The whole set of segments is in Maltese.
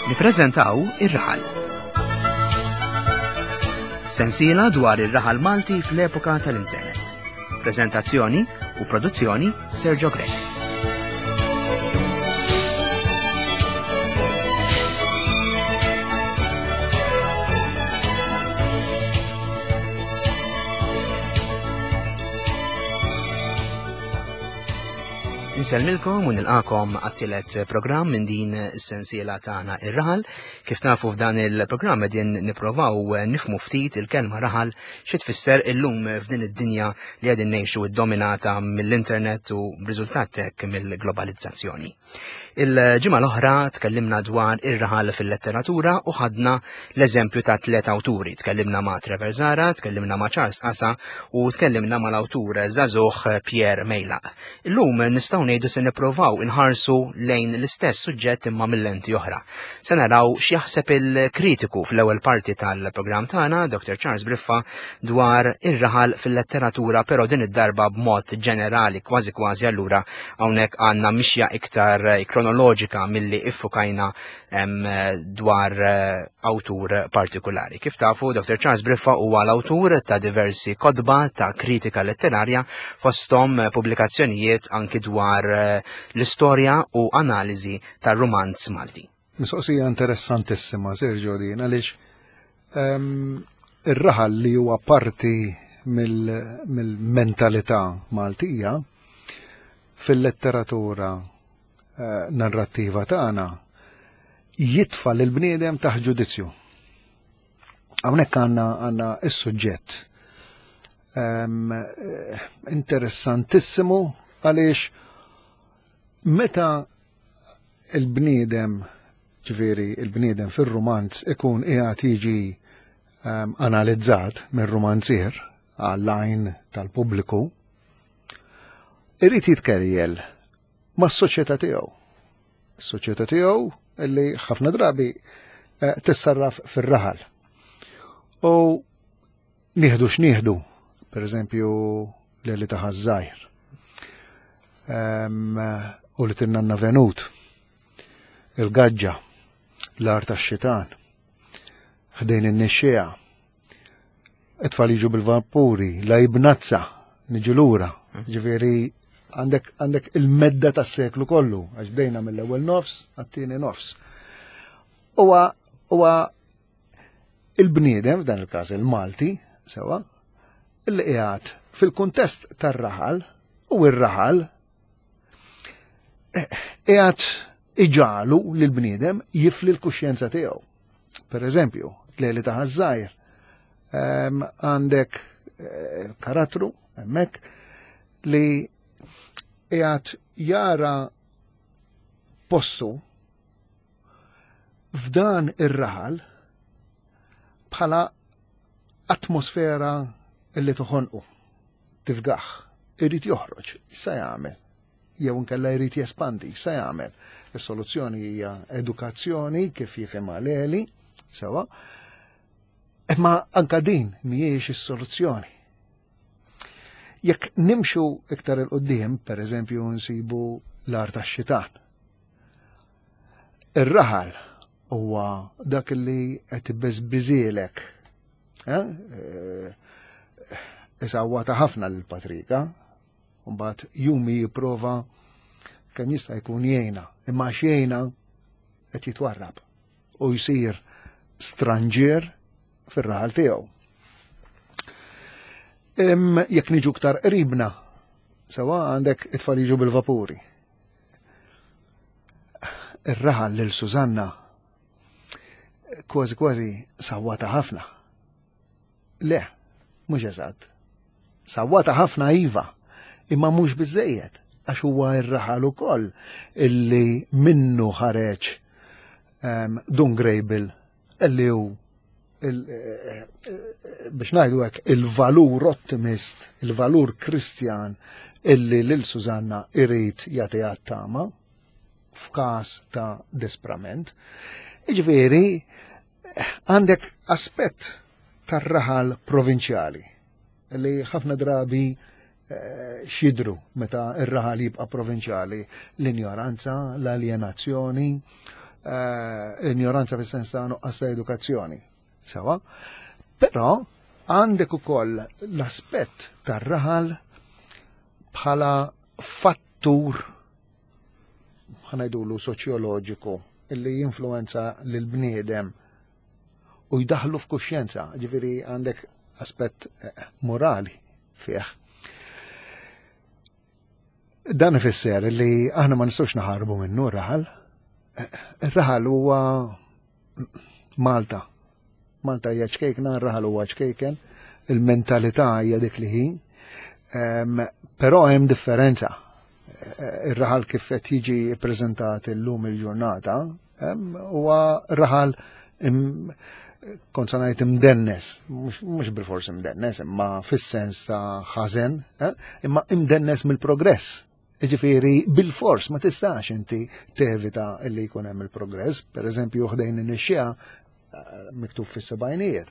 Nippreżentaw Ir-Raħal. Sensiela dwar ir-raħal Malti fl-epoka tal-internet. Preżentazzjoni u produzzjoni Sergio Grech. Insellmilkom u nilqakom għat-tielet programm minn din is-sensiela tagħna ir-raħal. Kif nafu f'dan il-programm qegħdin nipprovaw nifmu ftit il-kelma raħal xi tfisser illum f'din id-dinja li qegħdin ngħixu ddominata mill-internet u b'riżultat hekk mill-globalizzazzjoni. Il-ġimgħa l-oħra tkellimna dwar ir-raħal fil-letteratura u ħadna l-eżempju ta' tliet awturi. Tkellimna ma' Trevor Zara, tkellimna ma' Charles Asa u tkellimna mal-awtur żagħżugħ Pierre Mejlaq. Illum nistgħu ngħidu se nipprovaw inħarsu lejn l-istess suġġett imma mill-lenti oħra. Se naraw x'jaħseb il-kritiku fl-ewwel parti tal-programm tagħna, Dr. Charles Briffa, dwar ir-raħal fil-letteratura, però din id-darba b'mod ġenerali kważi kważi allura Hawnhekk għandna mixja iktar eh, kronoloġika milli iffukajna dwar eh, awtur partikolari. Kif tafu, Dr. Charles Briffa huwa l-awtur ta' diversi kotba ta' kritika letterarja fosthom eh, pubblikazzjonijiet anki dwar l-istorja u analiżi tar-rumanz Malti. Mistoqsija interessantissima, Sergio, din għaliex ehm, ir-raħal li huwa parti mill-mentalità Maltija fil-letteratura eh, narrattiva tagħna jitfa' lil bniedem taħt ġudizzju. Hawnhekk għandna għandna is-suġġett ehm, eh, interessantissimu għaliex meta il-bniedem, ġifieri il-bniedem fir-rumanz ikun qiegħed jiġi ehm, analizzat mir-rumanzier għall-għajn tal-pubbliku, irid jitkerjel mas-soċjetà tiegħu. Is-soċjetà tiegħu illi ħafna drabi eh, tissarraf fir-raħal. U Nieħdu x'nieħdu, per eżempju, li ta' ħażżajr. Ehm, u li tinnanna venut, il-gaġġa, l-art tax-xitan, ħdejn in-nixxiegħa, it-tfal jiġu bil-vapuri, la jibnazza, niġu lura, ġifieri għandek għandek il-medda tas-seklu kollu, għax bdejna mill-ewwel nofs għat-tieni nofs. Huwa huwa Il-bniedem, f'dan il-każ il-Malti, sewa, illi qiegħed fil-kuntest tar-raħal u r-raħal eh, qiegħed iġalu lil bniedem jifli l-kuxjenza tiegħu. Per eżempju, lejli ta' ħażżajr, ehm, għandek eh, karattru hemmhekk li qiegħed jara postu f'dan ir-raħal bħala atmosfera li toħonqu, tifgaħ, irid joħroġ, sa jagħmel, jew inkella jrid jespandi, sa jagħmel. Is-soluzzjoni hija edukazzjoni kif jifhimha Leli, sewa, imma anka din mhijiex is-soluzzjoni. Jekk nimxu iktar il-qoddim, per eżempju, nsibu l-art tax-xitan. Ir-raħal huwa dak li qed ibeżbiżielek. Eh? eh Isawwata ħafna lil Patrika, mbagħad jumi jipprova kemm jista' jkun jgħinha, imma għax jgħinha qed jitwarrab u jsir stranġier fir-raħal tiegħu. Jekk niġu ktar qribna, sewa għandek it-tfal jiġu bil-vapuri. Ir-raħal lil Susanna kważi kważi sawwata ħafna. Le, mhux eżatt. Sawwata ħafna iva, imma mhux biżejjed għax huwa r-raħal ukoll illi minnu ħareġ um, Dun Grejbil illi hu eh, eh, biex ngħidu hekk il-valur ottimist, il-valur Kristjan illi lil Susanna irid jagħtiha tama f'każ ta' disprament. Jiġifieri għandek aspett tar-raħal provinċjali li ħafna drabi eh, xidru meta r-raħal jibqa' provinċjali l-injoranza, l-aljenazzjoni. Eh, ignoranza fis-sens ta' nuqqas ta' edukazzjoni. Sewa. Però għandek ukoll l-aspett tar-raħal bħala fattur ħanajdulu soċjoloġiku illi jinfluenza lil bniedem u jdaħlu f'kuxjenza, ġifieri għandek aspett eh, morali fih. Dan ifisser li aħna ma nistgħux naħarbu minnu r-raħal. Eh, ir-raħal huwa Malta. Malta hija ċkejkna, r-raħal huwa ċkejken, il-mentalità hija dik li hi. Però hemm differenza. Eh, ir-raħal kif qed jiġi ppreżentat illum il-ġurnata huwa raħal kont sa ngħid imdennes, mhux bil-fors imdennes, imma fis-sens ta' ħażen, eh, imma imdennes mill-progress. Ġifieri bil-fors ma tistax inti tevita li jkun hemm il-progress, per eżempju ħdejn in-nixxija eh, miktub fis-sebgħinijiet.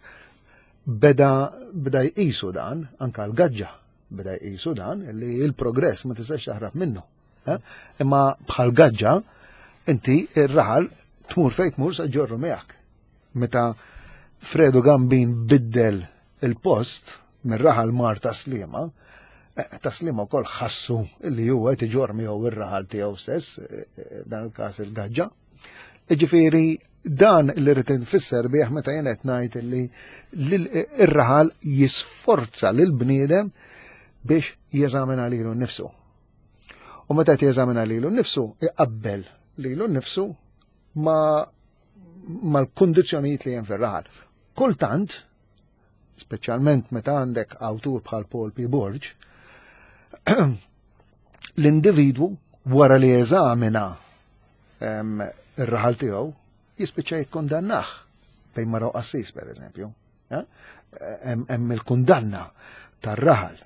Beda beda jqisu dan anka l-gaġġa beda jqisu dan li l-progress ma tistax taħrab minnu. Eh? Imma bħal gaġġa inti ir-raħal tmur fejn tmur sa ġorru miegħek. Meta Fredu Gambin biddel il-post mir-raħal mar taslima, eh, taslima wkoll ħassu li huwa qed iġorr miegħu ir-raħal tiegħu stess, eh, dan il-każ il-gaġġa. Ġifieri dan li rrid infisser bih meta jien qed ngħid li ir-raħal jisforza lil bniedem biex jeżamina lilu nnifsu. U meta qed jeżamina lilu nnifsu, iqabbel lilu nnifsu ma mal-kundizzjonijiet li hemm fir-raħal. Kultant, speċjalment meta għandek awtur bħal Paul P. Borg, l-individwu wara li jeżamina ir-raħal tiegħu jispiċċa jikkundannah bejn mara qassis per eżempju. Eh? Hemm il-kundanna tar-raħal.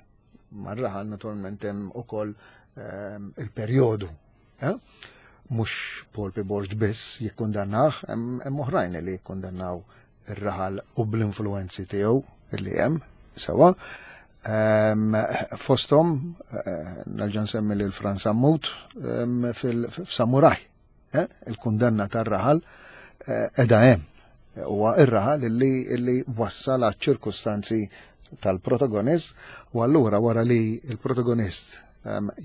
Mar-raħal naturalment hemm ukoll il-perjodu. Eh? Mhux Paul P. Borg biss jikkundannah, hemm oħrajn li jikkundannaw ir-raħal u bl-influenzi tiegħu li hemm sewa. Fosthom eh, nerġa' nsemmi lil Franz Sammut fil-Samuraj. Eh, il-kundanna tar-raħal eh, edha hemm. Huwa ir-raħal illi, illi wassal għaċ ċirkustanzi tal-protagonist u allura wara li il-protagonist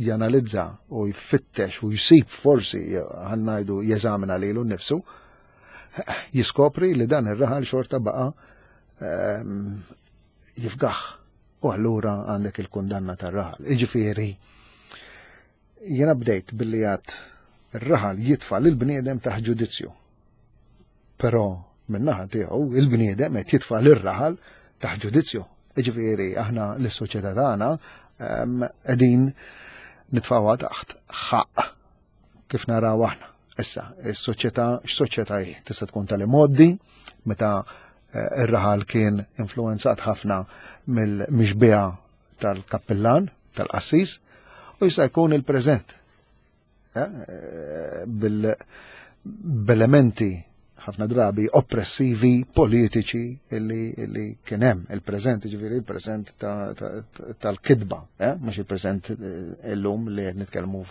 janalizza u jfittex u jsib forsi ħannajdu jeżamina lilu nnifsu, jiskopri li dan ir-raħal xorta baqa jifgaħ. U allura għandek il-kundanna tar-raħal. Iġifieri, jiena bdejt billi għad ir-raħal jitfa' lil bniedem taħt ġudizzju. Però min-naħa tiegħu il-bniedem qed jitfa' lir-raħal taħt ġudizzju. Iġifieri aħna lis-soċjetà tagħna qegħdin nitfgħuha taħt ħaqq kif naraw aħna. Issa, is-soċjetà x'soċjetà hi? Tista' tkun tal-imoddi meta eh, ir-raħal kien influenzat ħafna mill-mixbiha tal-kappillan, tal-qassis, u jista' jkun il-preżent. Eh, eh, bil-elementi ħafna drabi oppressivi politiċi illi, illi kien hemm il-preżent, ġifieri il-preżent tal-kidba, eh? mhux il-preżent eh, illum li qed nitkellmu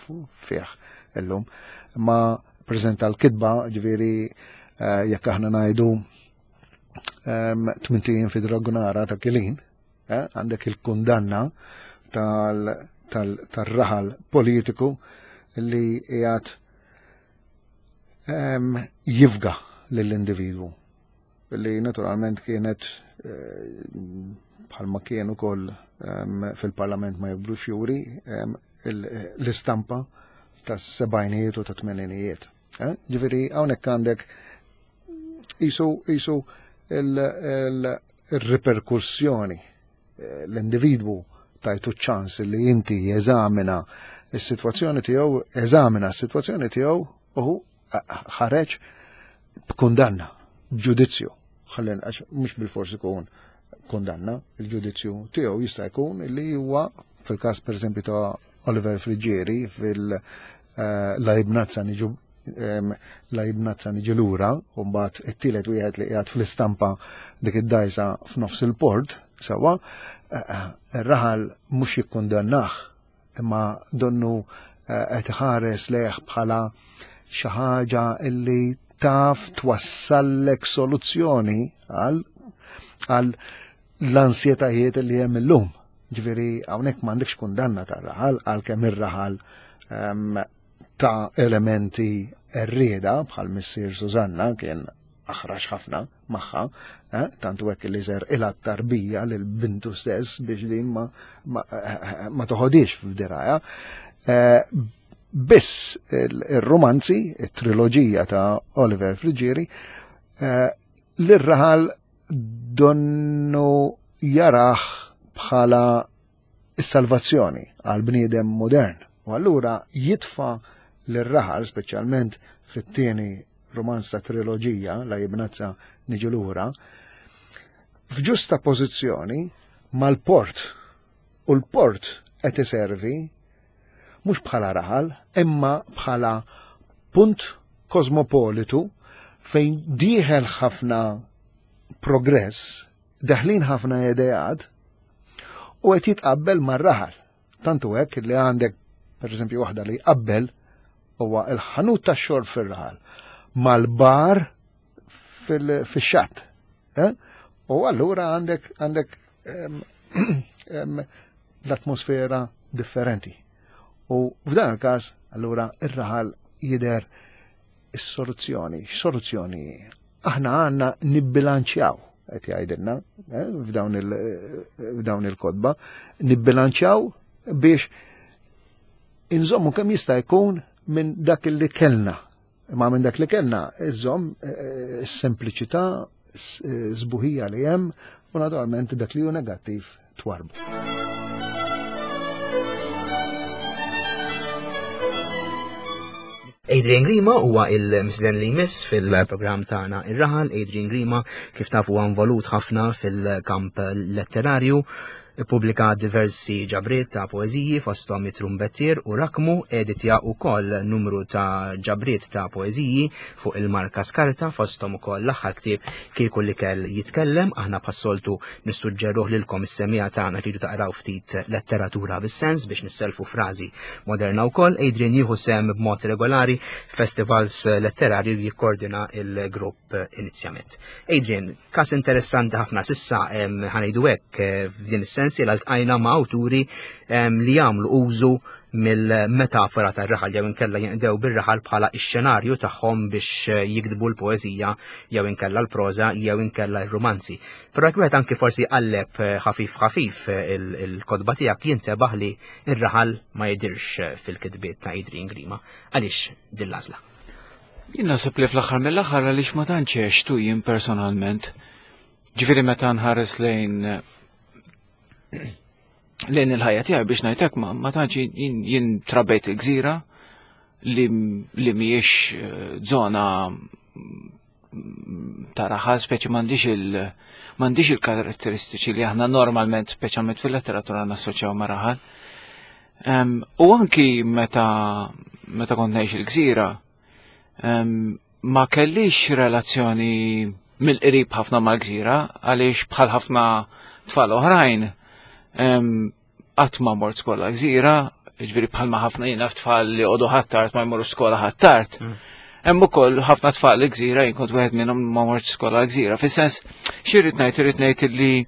fih illum, ma preżent tal-kidba, ġifieri eh, jekk aħna ngħidu ehm, tmintijin fi dragunara ta' kilin, eh, għandek il-kundanna tal-raħal politiku li qiegħed jifga lill-individwu li naturalment kienet eh, bħalma kien ukoll fil-parlament ma jibdlux juri l-istampa tas-sebgħinijiet u ta' tmeninijiet. Eh? Ġifieri hawnhekk għandek jisu jisu il-riperkussjoni l-individwu tajtu ċans li inti jeżamina s-sitwazzjoni tiegħu, eżamina s-sitwazzjoni tiegħu u ħareġ b'kundanna, b'ġudizzju. Ħallin għax mhux bil-fors ikun kundanna, il-ġudizzju tiegħu jista' jkun li huwa fil-każ pereżempju ta' Oliver Friggieri fil-lajbnazza eh, niġu la jibnazza niġi lura, u mbagħad it-tielet wieħed li qiegħed fl-istampa dik id-dajsa f'nofs il-port, sewwa, eh, eh, ir-raħal mhux jikkundannah, imma donnu eh, qed iħares lejh bħala xi ħaġa illi taf twassallek soluzzjoni għal għal l-ansjetajiet li hemm illum. Ġifieri hawnhekk m'għandekx kundanna tar-raħal għalkemm ir-raħal ehm, ta' elementi errieda bħal missier Susanna kien aħrax ħafna magħha, eh, tantu hekk li ser ilha tarbija lil bintu stess biex din ma, ma, eh, ma toħodix f'diraja. Eh, biss il-romanzi, il-triloġija ta' Oliver Friggieri, eh, l-raħal donnu jaraħ bħala is-salvazzjoni għal bniedem modern. U allura jitfa lir-raħal, speċjalment fit-tieni romanz ta' triloġija, la jibnazza niġu lura, f'ġusta pożizzjoni mal-port. U l-port qed iservi mhux bħala raħal, imma bħala punt kosmopolitu fejn dieħel ħafna progress, deħlin ħafna ideat u qed jitqabbel mar-raħal. Tantu hekk li għandek pereżempju waħda li jqabbel huwa il-ħanut tax-xorb fir-raħal mal-bar fix-xatt. Eh? U allura għandek għandek l-atmosfera differenti. U f'dan il-każ allura ir-raħal jidher is-soluzzjoni. X'soluzzjoni? Aħna għandna nibbilanċjaw qed jgħidilna eh, f'dawn il-kodba, nibbilanċjaw biex inżommu kemm jista' jkun minn dak li kellna. Imma minn dak li kellna iżomm eh, s-sempliċità, sbuħija li hemm u naturalment dak li hu negattiv twarbu. Adrian Grima huwa il-misden li jmiss fil-programm tagħna Ir-Raħal. Adrian Grima kif tafu huwa involut ħafna fil-kamp letterarju Ippubblika diversi ġabriet ta' poeżiji fosthom It-Trumbettier u Rakmu, editja wkoll numru ta' ġabriet ta' poeżiji fuq il-marka Skarta fosthom ukoll l-aħħar ktieb Kieku l-ikel jitkellem, aħna bħas-soltu nissuġġeruh lilkom is-semmiegħa tagħna tridu taqraw ftit letteratura bis-sens biex nisselfu frażi moderna wkoll. Adrian jieħu sehem b'mod regolari f'festivals letterarji u jikkordina l-grupp inizjament. Adrian, kas interessanti ħafna sissa ħanejdu hekk eh, f'din is-sens li ltqajna ma' awturi li jagħmlu użu mill-metafora tar-raħal jew inkella jinqdew bir-raħal bħala x-xenarju tagħhom biex eh, jiktbu l-poeżija jew inkella l-proża jew inkella r-rumanzi. Però jekk wieħed anki forsi jqalleb eh, ħafif ħafif il-kotba tiegħek jintebaħ li r-raħal ma jidirx fil-kitbiet ta' Adrian Grima. Għaliex din l-għażla? Jien naħseb li fl-aħħar mill-aħħar għaliex ma tantx għextu jien personalment. Ġifieri meta nħares lejn lejn il-ħajja tiegħi biex ngħidlek ma, ma tantx jien, jien trabejt il-gżira li, li mhijiex eh, żona ta' raħal speċi m'għandix il m'għandix il-karatteristiċi li aħna normalment speċjalment fil-letteratura nassoċjaw ma' raħal. U anki meta meta kont ngħix il-gżira, ma kellix relazzjoni mill-qrib ħafna mal-gżira għaliex bħal ħafna tfal oħrajn qatt ma mort skola gżira, ġifieri bħalma ħafna jiena tfal li għodu ħattart ma jmorru skola ħattart. Mm. Hemm ukoll ħafna tfal li gżira jien kont wieħed minnhom ma mort skola gżira. Fis-sens xi rrid ngħid irid ngħid illi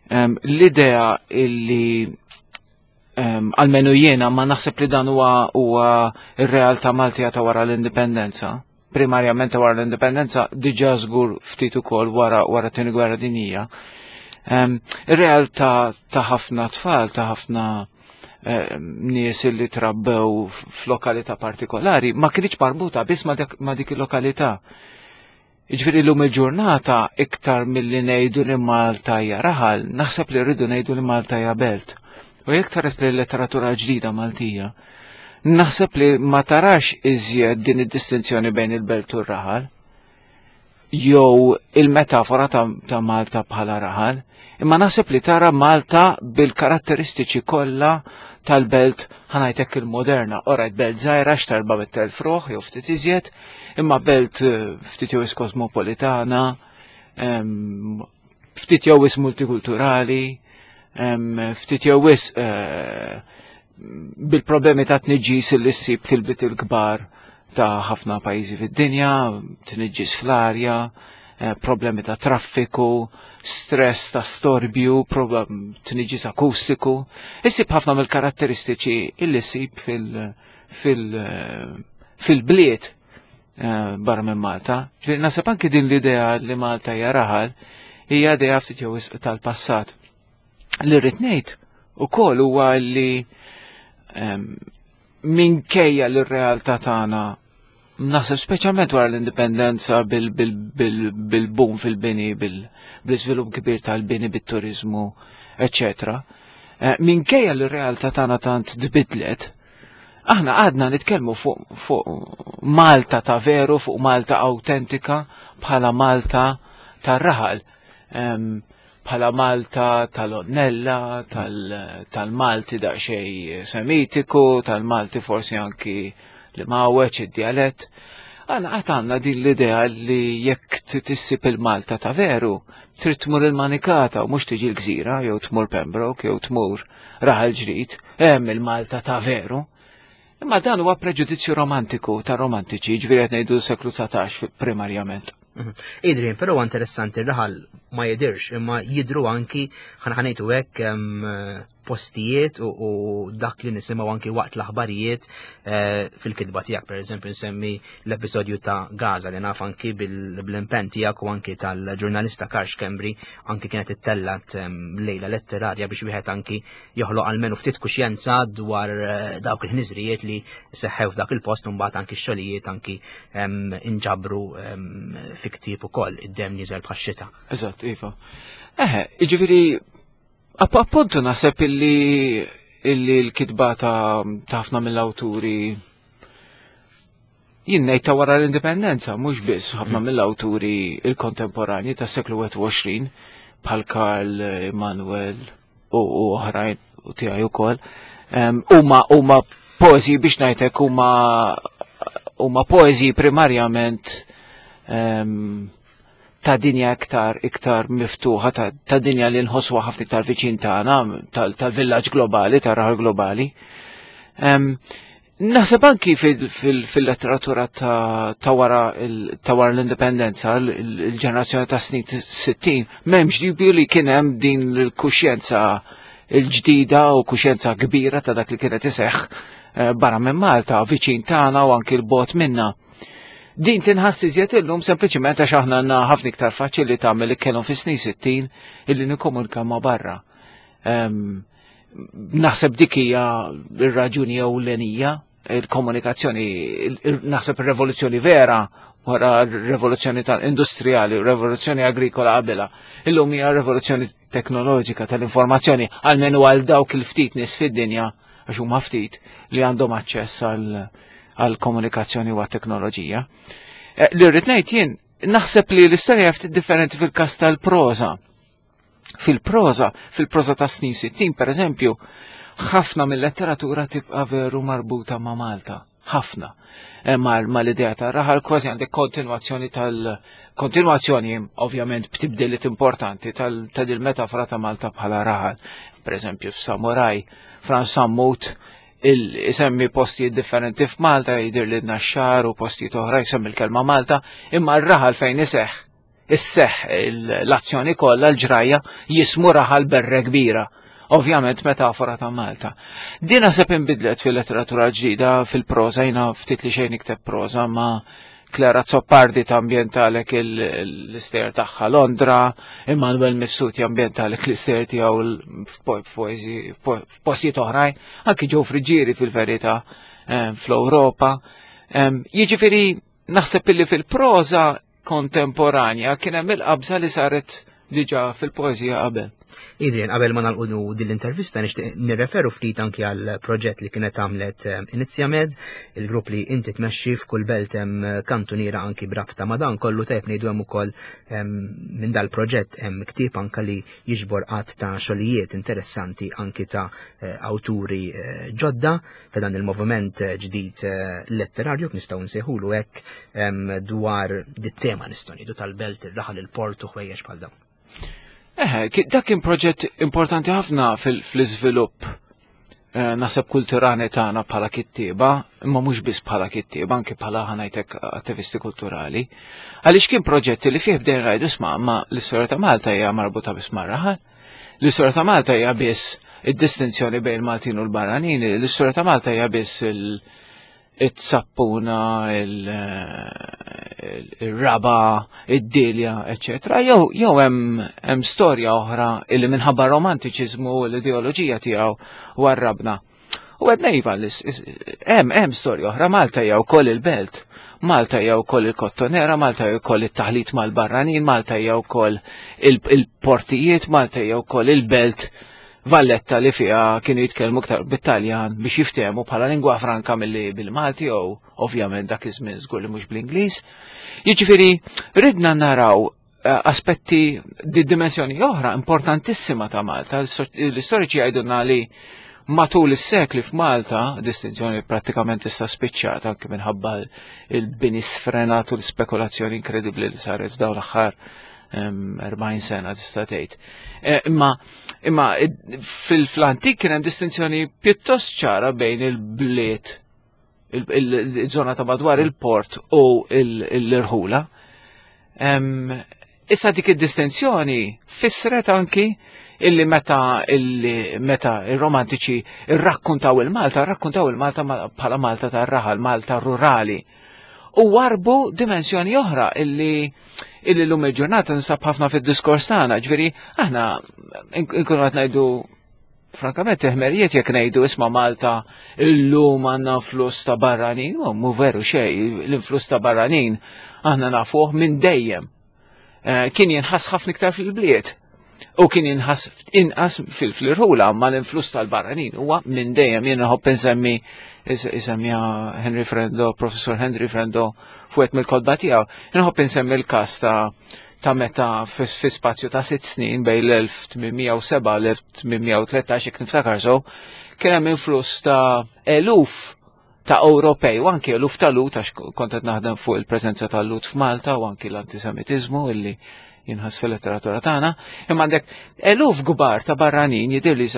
l-idea illi Almenu jiena ma naħseb li dan huwa huwa r-realtà Maltija ta' wara l-indipendenza. Primarjament ta' wara l-indipendenza diġà żgur ftit ukoll wara wara tieni gwerra dinjija. Ir-realtà ta' ħafna tfal, ta' ħafna nies li trabbew f'lokalità partikolari ma kienx marbuta biss ma' dik il-lokalità. Jiġifieri llum il-ġurnata iktar milli ngħidu li Malta hija raħal, naħseb li rridu ngħidu li Malta hija belt. U jekk tħares li letteratura ġdida Maltija, naħseb li ma tarax iżjed din id-distinzjoni bejn il-belt u r-raħal jew il-metafora ta', ta Malta bħala raħal, imma naħseb li tara Malta bil-karatteristiċi kollha tal-belt ħanajtek il-moderna, orajt belt żgħira x'tarba mit-telf ruħ jew ftit iżjed, imma belt eh, ftit jew kosmopolitana, ftit jew multikulturali, ftit jew eh, bil-problemi ta' tniġġis li ssib fil-bit il-kbar. ta' ħafna pajjiżi fid-dinja, tniġġis fl-arja, eh, problemi ta' traffiku, stress ta' storbju, tniġġis akustiku. Issib ħafna mill-karatteristiċi illi ssib fil-bliet eh, barra minn Malta. Ġifieri naħseb anki din l-idea li Malta hija raħal hija idea ftit jew tal-passat. Li rrid ngħid ukoll huwa li ehm, minkejja li r-realtà tagħna naħseb speċjalment wara l-indipendenza bil-boom fil-bini, bil-iżvilupp kbir tal-bini bit-turizmu, eccetera. Eh, minkejja li r-realtà tagħna tant tbidlet, aħna għadna nitkellmu fuq fu Malta ta' veru, fuq Malta autentika bħala Malta tar-raħal. Bħala Malta tal-Onnella, tal-Malti daqsxejn Semitiku, tal-Malti forsi anki li mawweċ id-djalett. Għana għat għanna din l-idea li jekk tissib il-Malta ta' veru, trid tmur il-Manikata u mhux tiġi l-Gżira, jew tmur Pembroke, jew tmur Raħal Ġdid, hemm il-Malta ta' veru. Imma dan huwa preġudizzju romantiku ta' romantiċi, ġifieri qed ngħidu seklu 19 primarjament. Mhm. Adrian, però interessanti r-raħal ma jidirx, imma jidru anki ħanħanejtu hekk postijiet u dak li nisimgħu anki waqt l-aħbarijiet eh, fil-kitba tiegħek, pereżempju nsemmi l-episodju ta' Gaza li naf anki bil-impenn tiegħek u anki tal-ġurnalista Karx Kembri anki kienet ittellat lejla letterarja biex wieħed anki joħloq almenu ftit kuxjenza dwar eh, dawk il-ħniżrijiet li seħħew f'dak il-post u mbagħad anki x-xogħlijiet anki inġabru fi ktieb ukoll id-dem niżel bħax-xita. Eżatt, iva. Eħe, jiġifieri appuntu naħseb illi illi l-kitba ta' ħafna mill-awturi jien ngħid ta' wara l-indipendenza, mhux biss ħafna mm. mill-awturi il-kontemporanji tas seklu 21 bħal Karl Emanuel u oħrajn u tiegħi ukoll. Huma huma poeżiji biex ngħidlek huma huma poeżiji primarjament ta' dinja iktar iktar miftuħa ta', ta dinja li nħosswa ħafna iktar viċin tagħna tal-villaġġ globali, tar-raħal globali. Naħseb anki fil-letteratura ta' wara l-indipendenza, il-ġenerazzjoni ta' snin 60, m'hemmx dubju li kien hemm din l-kuxjenza il-ġdida u kuxjenza kbira ta' dak li kienet iseħħ eh, barra minn Malta, viċin tagħna u anki l-bot minna. Din tinħass iżjed illum sempliċiment għax aħna għandna ħafna iktar faċili tagħmel li kellhom fis-snin 60 illi nikkomunikaw ma' barra. Ehm, naħseb dik hija r-raġuni ewlenija il-komunikazzjoni, naħseb ir-revoluzzjoni vera wara r-revoluzzjoni tal-industrijali, revoluzzjoni agrikola qabela. Illum hija revoluzzjoni teknoloġika tal-informazzjoni, għalmenu għal dawk il-ftit nies fid-dinja, għax huma ftit li għandhom aċċess għal komunikazzjoni u għat-teknoloġija. Eh, li rrid ngħid jien, naħseb li l-istorja ftit differenti fil-każ tal-proża. Fil-proża, fil-proża ta' snin 60 per eżempju, ħafna mill-letteratura tibqa' veru marbuta ma' Malta. Ħafna. Eh, ma l-idea ta' raħal kważi għandek kontinwazzjoni tal-kontinwazzjoni ovvjament b'tibdiliet importanti tal-metafora ta' Malta bħala raħal. Per eżempju, f'Samuraj, Frans Sammut il-isemmi postijiet differenti f'Malta, jidir li naxxar u postijiet oħra jsemmi l-kelma Malta, imma r-raħal fejn iseħħ isseħħ l-azzjoni kollha l-ġrajja jismu raħal berre kbira. Ovvjament metafora ta' Malta. Din naħseb inbidlet fil-letteratura ġdida fil-proża jiena ftit li xejn ikteb proża ma' Clara Zoppardi ta' ambjentalek l-ister tagħha Londra, Immanuel Mifsud jambjentalek l-ister tiegħu f'postijiet oħrajn, anki ġew Friġġieri fil-verità eh, fl-Ewropa. Jiġifieri naħseb illi fil-proża kontemporanja kien hemm il-qabża li saret diġà fil-poeżija qabel. Adrian, qabel ma nagħlqu din l-intervista nixtieq nirreferu ftit anki għal proġett li kienet għamlet eh, Inizjamed, il-grupp li inti tmexxi f'kull belt hemm eh, kantuniera anki brabta ma' dan kollu tajjeb ngħidu hemm ukoll minn dal-proġett hemm ktieb anka li jiġbor qatt ta' xogħlijiet interessanti anki ta' eh, awturi ġodda ta' dan il-moviment eh, ġdid eh, letterarju nistgħu nsejħulu hekk dwar dit-tema nistgħu ngħidu tal-belt, ir-raħal, il-port u ħwejjeġ bħal dawn. Eħe, dak kien proġett importanti ħafna fl-iżvilupp. eh, naħseb kulturali tagħna bħala kittieba, imma mhux biss bħala kittieba, anke bħala ħanajtek attivisti kulturali. Għaliex kien proġett li fih bdejn rajdu sma' ma l-istorja ta' Malta hija marbuta biss mar-raħal. L-istorja ta' Malta hija biss id-distinzjoni bejn il-Maltin u l-barranin, l-istorja ta' Malta hija biss il- it-sappuna, il-raba, id-dilja, eccetera. Jew jew hemm storja oħra illi minħabba romantiċiżmu u l-ideoloġija tiegħu warrabna. U għedna iva, hemm hemm storja oħra, Malta hija wkoll il-belt. Malta hija wkoll il-kottonera, Malta hija wkoll it-taħlit mal-barranin, Malta hija wkoll il-portijiet, Malta hija wkoll il-belt Valletta li fiha kienu jitkellmu iktar bit-Taljan biex jiftehmu bħala lingwa franka milli bil-Malti jew ovvjament dak iż-żmien żgur li mhux bl-Ingliż. Jiġifieri ridna naraw eh, aspetti di dimensjoni oħra importantissima ta' Malta. L-istoriċi jgħidulna li matul is-sekli f'Malta, distinzjoni prattikament issa spiċċata anke minħabba il-bini sfrenat u l-spekulazzjoni inkredibbli li saret f'dawn l-aħħar 40 sena tista' tgħid. Eh, imma imma fil-antik kien hemm distinzjoni pjuttost ċara bejn il-bliet il-żona ta' madwar il-port u l-irħula. Issa dik id-distinzjoni fissret anki illi meta illi meta ir-romantiċi irrakkuntaw il-Malta, rrakkuntaw il-Malta bħala Malta tar-raħal, Malta rurali. U warbu dimensjoni oħra illi illi l-lum il-ġurnata nsab ħafna fid-diskors tagħna, ġifieri aħna nkunu qed ngħidu frankament teħmerijiet jekk ngħidu isma' Malta illum għandna influss ta' barranin, u mu veru xejn, l-influss ta' barranin aħna nafuh minn dejjem. Eh, kien jinħass ħafna iktar fil-bliet u kien jinħass inqas fil-irħula ma l-influss tal-barranin huwa minn dejjem jien nħobb insemmi isemmiha Henry Frendo, Professor Henry Frendo fuq mill-kodba tiegħu. Nħobb insemmi l-każ ta' ta' meta fi spazju ta' sitt snin bejn l-1807 l-1813 jekk niftakar so, kien hemm influss ta' eluf ta' Ewropej u anki eluf ta' Lut għax kont qed naħdem fuq il-preżenza ta' Lut f'Malta u anki l-antisemitiżmu illi jinħass fil-letteratura tagħna, imma għandek eluf kbar ta' barranin jidhir li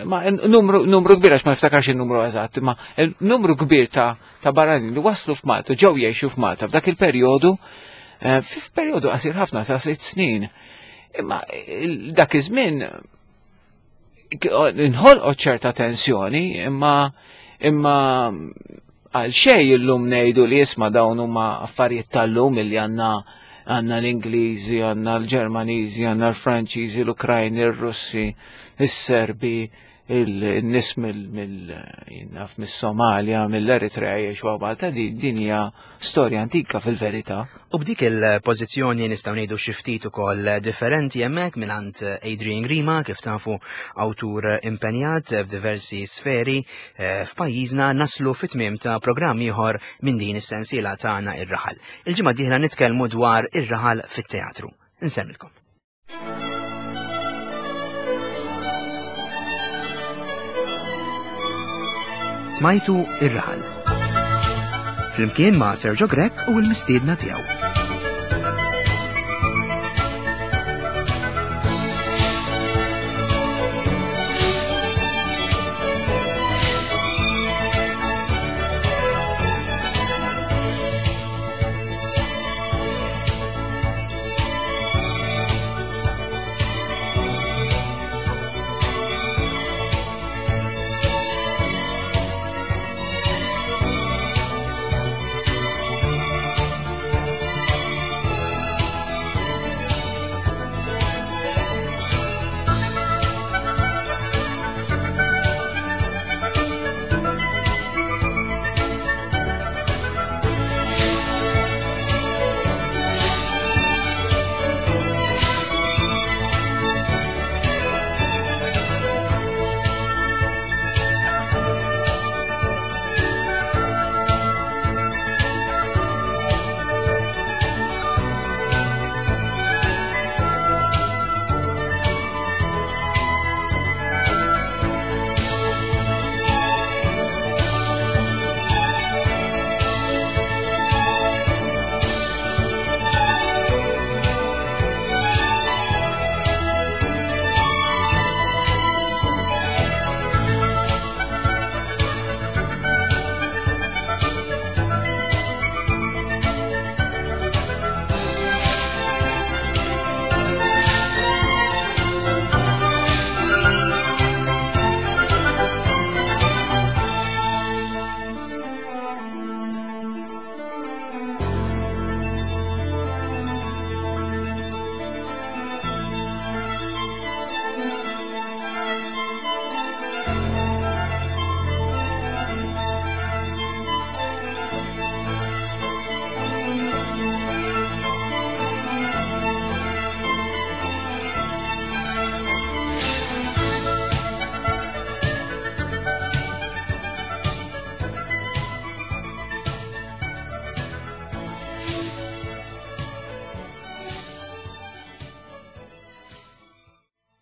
ma numru, numru kbir għax ma niftakarx il-numru eżatt, imma numru kbir ta', ta barranin li waslu f'Malta, ġew jgħixu f'Malta f'dak il-perjodu, eh, f'perjodu qasir ħafna ta' sitt snin. Imma dak iż-żmien inħolqot ċerta tensjoni, imma imma għal xej illum ngħidu li jisma' dawn huma affarijiet tal-lum illi għandna għandna l-Ingliżi, għandna l-Ġermaniżi, għandna l-Franċiżi, l-Ukrajni, r-Russi, is-Serbi, il-nis mill-naf mis-Somalia, mill-Eritrea jgħixu Malta, din hija storja antika fil-verità. U b'dik il-pożizzjoni nistgħu ngħidu xi ftit ukoll differenti hemmhekk mingħand Adrian Grima kif tafu awtur impenjat f'diversi sferi eh, f'pajjiżna naslu fit-tmiem ta' programm ieħor minn din is-sensiela tagħna ir-raħal. Il-ġimgħa dieħla nitkellmu dwar ir-raħal fit-teatru. Insemmilkom. Smajtu ir-raħal. Flimkien ma' Sergio Grech u l-mistiedna tiegħu.